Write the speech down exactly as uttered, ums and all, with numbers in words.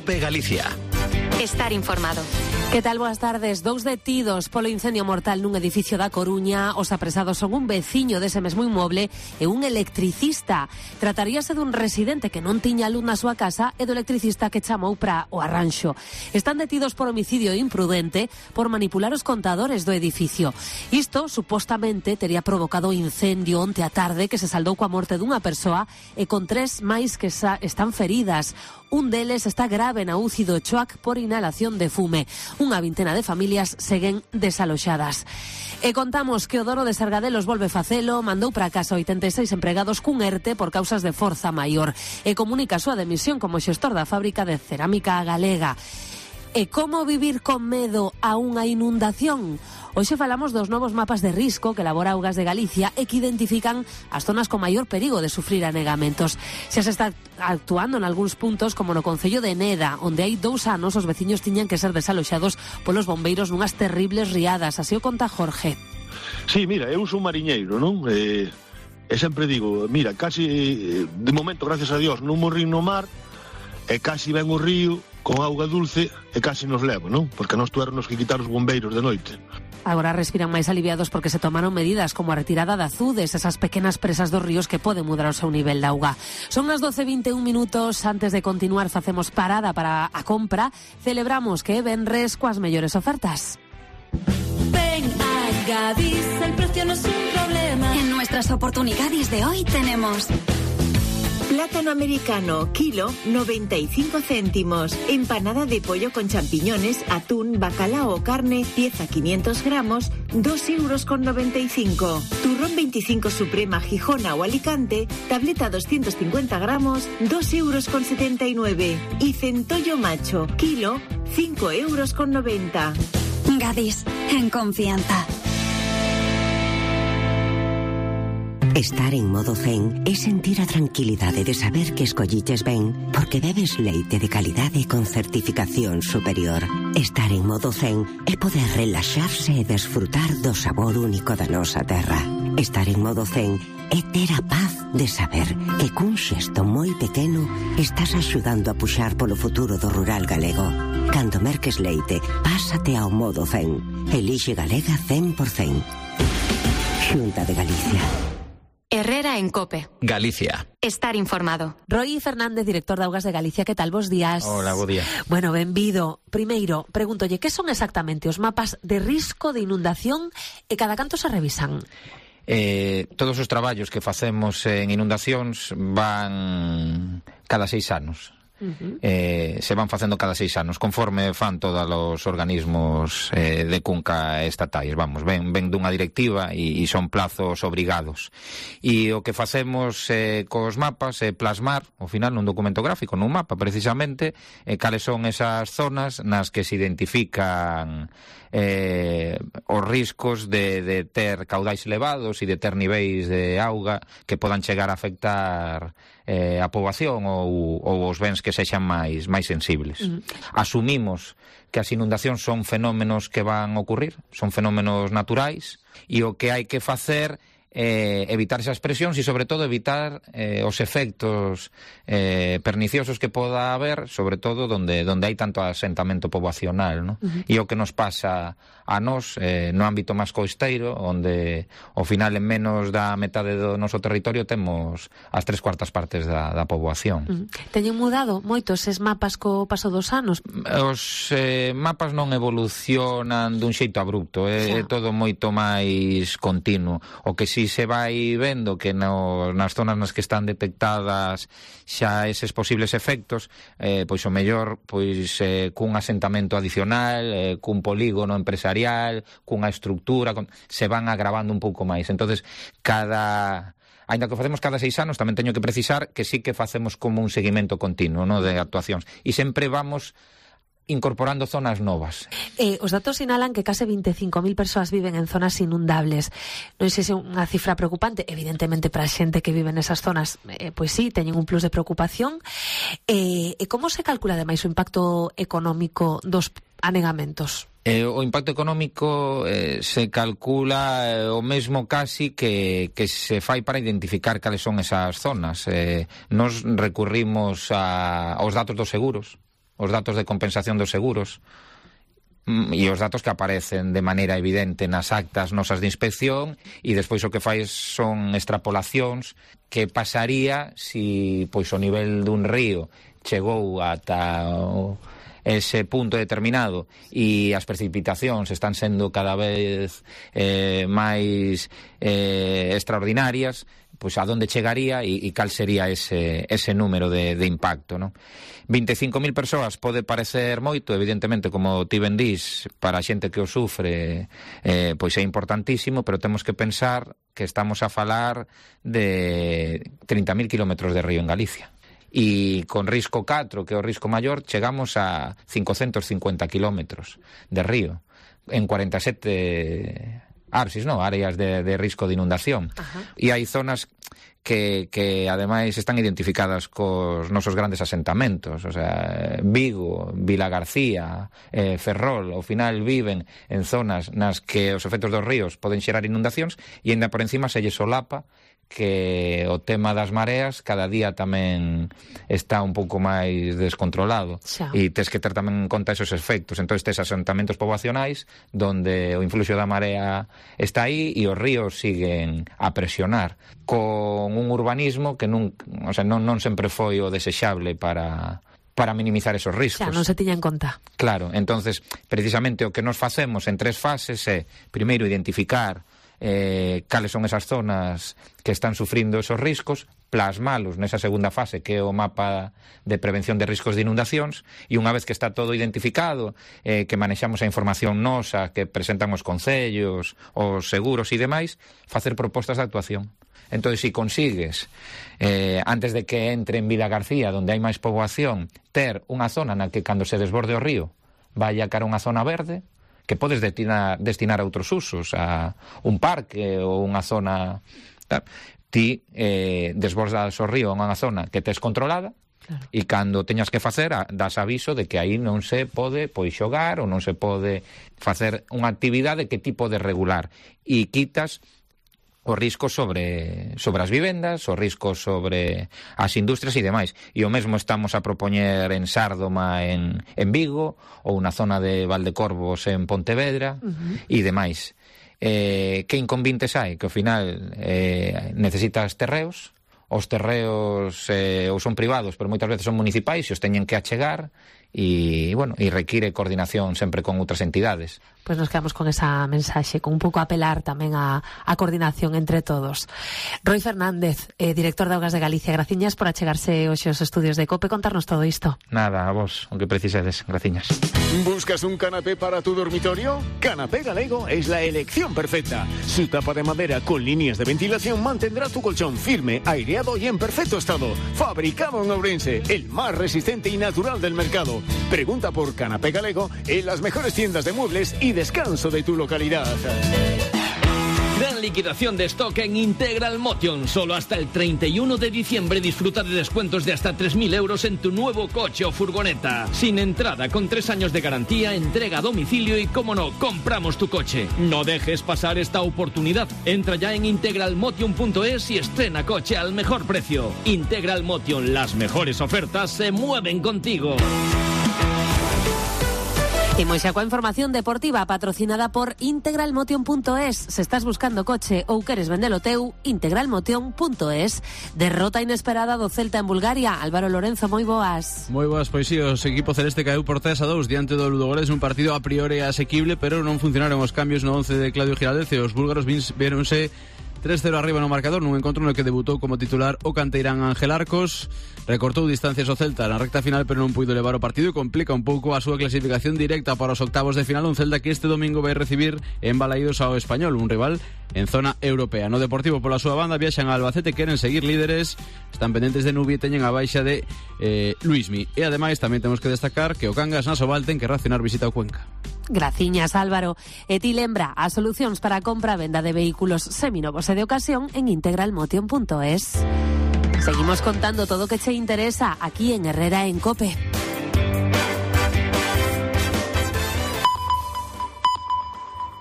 COPE Galicia. Estar informado. Que tal? Boas tardes. Dous detidos polo incendio mortal nun edificio da Coruña. Os apresados son un veciño dese mesmo inmoble e un electricista. Trataríase dun residente que non tiña luz na súa casa e do electricista que chamou para o arranxo. Están detidos por homicidio imprudente por manipular os contadores do edificio. Isto, supostamente, tería provocado o incendio onte á tarde que se saldou coa morte dunha persoa e con tres máis que están feridas. Un deles está grave na U C I do Choac por inhalación de fume. Unha vintena de familias seguen desaloxadas. E contamos que o Doro de Sargadelos volve facelo, mandou para casa oitenta e seis empregados cun ERTE por causas de forza maior e comunica a súa demisión como xestor da fábrica de cerámica galega. E como vivir con medo a unha inundación? Hoxe falamos dos novos mapas de risco que elabora Augas de Galicia e que identifican as zonas con maior perigo de sufrir anegamentos. Xa se está actuando en algúns puntos, como no concello de Neda, onde hai dous anos os veciños tiñan que ser desaloxados polos bombeiros nunhas terribles riadas. Así o conta Jorge. Sí, mira, eu sou mariñeiro, non? E, e sempre digo, mira, casi, de momento, gracias a Dios, non morri no mar, e casi ven o río con auga dulce e casi nos leva, non? Porque nos tuéramos que quitar os bombeiros de noite. Agora respiran máis aliviados porque se tomaron medidas como a retirada de azudes, esas pequenas presas dos ríos que poden mudar o seu nivel de auga. Son as doce e vinte e un minutos. Antes de continuar facemos parada para a compra. Celebramos que é venres coas mellores ofertas. Ven a Gadis, el precio no es un problema. En nuestras oportunidades de hoy tenemos... Plátano americano, kilo, noventa y cinco céntimos. Empanada de pollo con champiñones, atún, bacalao o carne, pieza quinientos gramos, dos euros con noventa y cinco. Turrón veinticinco Suprema, Gijona o Alicante, tableta doscientos cincuenta gramos, dos euros con setenta y nueve. Y centollo macho, kilo, cinco euros con noventa. Gadis, en confianza. Estar en modo zen é sentir a tranquilidade de saber que escolliches ben porque bebes leite de calidade con certificación superior. Estar en modo zen é poder relaxarse e desfrutar do sabor único da nosa terra. Estar en modo zen é ter a paz de saber que cun xesto moi pequeno estás axudando a puxar polo futuro do rural galego. Cando merques leite, pásate ao modo zen. Elixe Galega cen por cen. Xunta de Galicia. Herrera en COPE. Galicia. Estar informado. Roy Fernández, director de Augas de Galicia, que tal? Bos días. Hola, bo día. Bueno, benvido. Primeiro, pregúntolle, que son exactamente os mapas de risco de inundación e cada canto se revisan? Eh, todos os traballos que facemos en inundacións van cada seis anos. Uh-huh. eh, se van facendo cada seis anos conforme fan todos os organismos eh, de cunca estatais, vamos, ven, ven dunha directiva e, e son plazos obrigados, e o que facemos eh, cos mapas é plasmar ao final nun documento gráfico, nun mapa precisamente, eh, cales son esas zonas nas que se identifican eh, os riscos de, de ter caudais elevados e de ter niveis de auga que podan chegar a afectar eh, a poboación ou, ou os bens que sexan máis máis sensibles. Uh-huh. Asumimos que as inundacións son fenómenos que van ocurrir, son fenómenos naturais, e o que hai que facer é evitar esas presións e, sobre todo, evitar eh, os efectos eh, perniciosos que poda haber, sobre todo donde donde hai tanto asentamento poboacional, ¿no? Uh-huh. E o que nos pasa a nós eh, no ámbito máis costeiro, onde ao final en menos da metade do noso territorio temos as tres cuartas partes da, da poboación. Uh-huh. Teñen mudado moito eses mapas co paso dos anos? Os eh, mapas non evolucionan dun xeito abrupto, é eh, todo moito máis continuo. O que si se vai vendo que no, nas zonas nas que están detectadas xa eses posibles efectos, eh, pois o mellor pois eh, cun asentamento adicional, eh, cun polígono empresarial, cunha estructura, con, se van agravando un pouco máis. Entonces, cada... Ainda que facemos cada seis anos, tamén teño que precisar que sí que facemos como un seguimento continuo, ¿no?, de actuacións. E sempre vamos incorporando zonas novas. Eh, os datos sinalan que case vinte e cinco mil persoas viven en zonas inundables. Non sei se é unha cifra preocupante, evidentemente para a xente que vive nesas zonas, eh, pois sí, teñen un plus de preocupación. Eh, e como se calcula ademais o impacto económico dos anegamentos? Eh, o impacto económico eh, se calcula eh, o mesmo casi que, que se fai para identificar cales son esas zonas. Eh, nos recurrimos a, aos datos dos seguros. os datos de compensación dos seguros e os datos que aparecen de maneira evidente nas actas nosas de inspección, e despois o que fai son extrapolacións que pasaría si pois o nivel dun río chegou ata o, ese punto determinado e as precipitacións están sendo cada vez eh, máis eh, extraordinarias, pois a donde chegaría e, e cal sería ese, ese número de, de impacto, non? vinte e cinco mil persoas pode parecer moito, evidentemente, como ti ben dís, para a xente que o sufre eh, pois é importantísimo, pero temos que pensar que estamos a falar de trinta mil kilómetros de río en Galicia. E con risco catro, que é o risco maior, chegamos a cincocentos cincuenta kilómetros de río en cuarenta e sete arsis, no, áreas de, de risco de inundación. Ajá. E hai zonas que, que ademais están identificadas cos nosos grandes asentamentos, o sea, Vigo, Vila García, eh, Ferrol, ao final viven en zonas nas que os efectos dos ríos poden xerar inundacións e ainda por encima se lle solapa que o tema das mareas cada día tamén está un pouco máis descontrolado. Xa. E tes que ter tamén en conta esos efectos. Entón, tes asentamentos poboacionais donde o influxo da marea está aí e os ríos siguen a presionar con un urbanismo que non, o sea, non, non sempre foi o desexable para para minimizar esos riscos. Xa, non se tiña en conta. Claro, entonces, precisamente o que nos facemos en tres fases é, primeiro, identificar Eh, cales son esas zonas que están sufrindo esos riscos, plasmalos nesa segunda fase que é o mapa de prevención de riscos de inundacións, e unha vez que está todo identificado, eh, que manexamos a información nosa que presentan os concellos, os seguros e demais, facer propostas de actuación. Entón, se si consigues eh, antes de que entre en Vila García, onde hai máis poboación, ter unha zona na que cando se desborde o río vaya cara a unha zona verde, que podes destinar, destinar a outros usos, a un parque ou unha zona, tal. Ti eh, desbordas o río en unha zona que tes controlada, claro. E cando teñas que facer, das aviso de que aí non se pode pois xogar ou non se pode facer unha actividade que ti podes regular, e quitas o risco sobre, sobre as vivendas, o risco sobre as industrias e demais. E o mesmo estamos a propoñer en Sárdoma, en, en Vigo, ou na zona de Valdecorvos en Pontevedra, uh-huh. e demais. Eh, que inconvintes hai? Que ao final eh, necesitas terreos, os terreos eh, ou son privados, pero moitas veces son municipais e os teñen que achegar, e, bueno, e require coordinación sempre con outras entidades. Pois nos quedamos con esa mensaxe, con un pouco apelar tamén a, a coordinación entre todos. Roi Fernández, eh, director de Augas de Galicia, graciñas por achegarse hoxe aos estudios de COPE, contarnos todo isto. Nada, a vos, o que precisedes, graciñas. ¿Buscas un canapé para tu dormitorio? Canapé Galego es la elección perfecta. Su tapa de madera con líneas de ventilación mantendrá tu colchón firme, aireado y en perfecto estado. Fabricado en Ourense, el más resistente y natural del mercado. Pregunta por Canapé Galego en las mejores tiendas de muebles y descanso de tu localidad. Gran liquidación de stock en Integral Motion. Solo hasta el treinta y uno de diciembre disfruta de descuentos de hasta tres mil euros en tu nuevo coche o furgoneta. Sin entrada, con tres años de garantía, entrega a domicilio y, como no, compramos tu coche. No dejes pasar esta oportunidad. Entra ya en integral motion punto es y estrena coche al mejor precio. Integral Motion, las mejores ofertas se mueven contigo. Imos xa coa información deportiva patrocinada por integral motion punto es. Se estás buscando coche ou queres vendelo teu, integral motion punto es. Derrota inesperada do Celta en Bulgaria. Álvaro Lorenzo, moi boas. Moi boas, pois si, o equipo celeste caeu por tres a dous diante do Ludogorets, un partido a priori asequible, pero non funcionaron os cambios no once de Claudio Giraldez e os búlgaros véronse tres cero arriba no marcador nun encontro no que debutou como titular o canteirán Ángel Arcos. Recortou distancias o Celta na recta final, pero non puido levar o partido e complica un pouco a súa clasificación directa para os octavos de final, un Celta que este domingo vai recibir en Balaídos ao Español, un rival en zona europea. No Deportivo, pola súa banda, viaxan a Albacete, queren seguir líderes, están pendentes de Nubi e teñen a baixa de eh, Luismi. E ademais tamén temos que destacar que o Cangas na Soval ten que racionar visita ao Cuenca. Graciñas, Álvaro. E ti lembra as solucións para a compra e venda de vehículos seminovos e de ocasión en integral motion punto es. Seguimos contando todo o que che interesa aquí en Herrera en COPE.